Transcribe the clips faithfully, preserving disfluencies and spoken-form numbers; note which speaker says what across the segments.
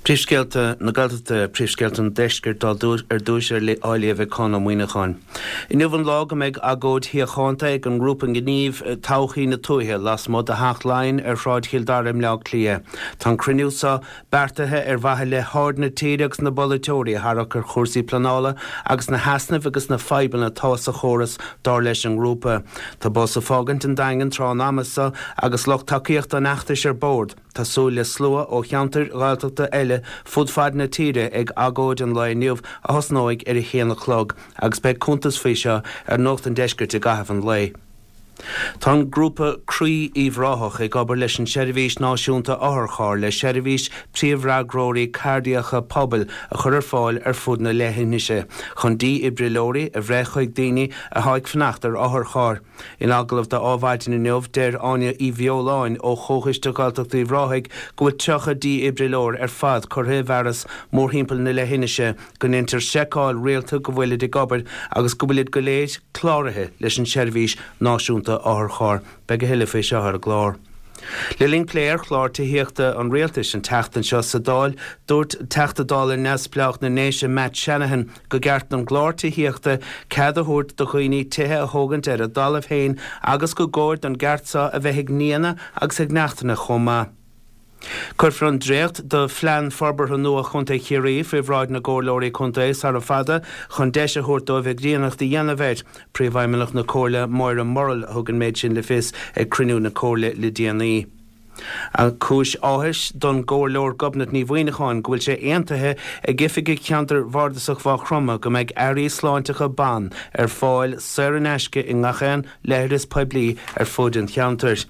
Speaker 1: Príomhscéalta na Gaeltachta, Príomhscéalta an Deiscirt ar dtús á léamh ag Conn Ó Muíneacháin. Inniu an lá go mbeidh agóid shíochánta ag an ngrúpa gnímh Todhchaí na Tuaithe lasmuigh de Theach Laighean ar Shráid Chill Dara i mBleá Cliath. Tá an cruinniú seo beartaithe ar mhaithe le haird na tíre agus na bpolaiteoirí a tharrac ar chúrsaí pleanála agus na heasnaimh agus na fadhbanna atá sa chóras dar leis an ngrúpa. Tá bus ag fágaint an Daingin tráth an ama seo agus lucht tacaíochta an fheachtais ar bord. Tá súil le slua ó cheantair Ghaeltachta eile fud fad na tíre ag agóid an lae inniu a thosnóidh ar a haon a chlog agus beidh cuntas faoi seo ar Nuacht an Deiscirt i gcaitheamh an lae. Tá an grúpa Croí Uíbh Ráthach ag obair leis an Seirbhís Náisiúnta Otharcharr le seirbhís príomhfhreagróirí cairdiacha pobail a chur ar fáil ar fud na leithinise chun dífhibrileoirí a bhreith chuig daoine atá ag fanacht ar otharcharr. In agallamh do Adhmhaidin inniu, deir Áine Uí Bheoláin ó Chomhchoiste Gaeltacht Uíbh Ráthaigh go bhfuil tríocha dífhibrileoir ar fad curtha i bhfearas mórthimpeall na leithinise, go ndéantar seiceáil rialta go bhfuilid ag obair agus go bhfuilid go léir cláraithe leis an tSeirbhís Náisiúnta Otharcharr. Beidh a thuilleadh faoi seo ar an gclár. Le linn plé ar chlár tithíochta an Rialtais an tseachtain seo sa Dáil, dúirt Teachta Dála neamhspleách na nDéise Matt Shanahan go gceart don gclár tithíochta cead a thabhairt do dhaoine tithe a thógaint ar a dtalamh féin agus go gcóir don gceart seo a bheith ag nianna agus ag neachtanna chomh maith. Cuirfear an dréacht de Phlean Forbartha nua Chontae Chiarraí faoi bhráid na gComhairleoirí Contae sara fada chun deis a thabhairt dóibh a gcríonnacht a dhéanamh air. Príomhfheidhmeannach na Comhairle, Máire Murrell, a thug an méid sin le fios ag cruinniú na Comhairle le déanaí. Cúis áthais don gComhairleoir Gobnait Ní Mhuineacháin go bhfuil sé aontaithe ag oifigigh Cheantar Bhardasach Mhaigh Chromtha go mbeidh earraí sláinteacha ban ar fáil saor in aisce i ngach aon leithreas poiblí ar fud an cheantair.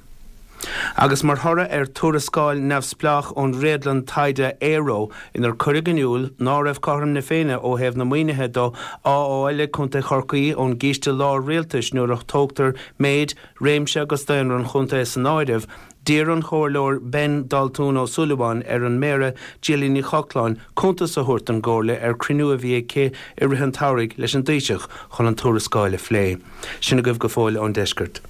Speaker 1: Agus mar thoradh ar tuarascáil neamhspleách ón réadlann taighde Aero inar cuireadh in iúl ná raibh cothrom na Féinne ó thaobh na maoinithe do á fháil ag Contae Chorcaí ón gCiste Lár-Rialtais nuair a tógtar méid, réimse agus daonra an chontae san áireamh, d'iarr an Comhairleoir Ben Daltún Ó Súilleabháin ar an Méara Gillian Ní Chochláin cuntas a thabhairt don gComhairle ar cruinniú a bhí aici i rith an tsamhraidh leis an dTaoiseach chun an tuarascáil a phlé. Sin agaibh go fóill ón Deisceart.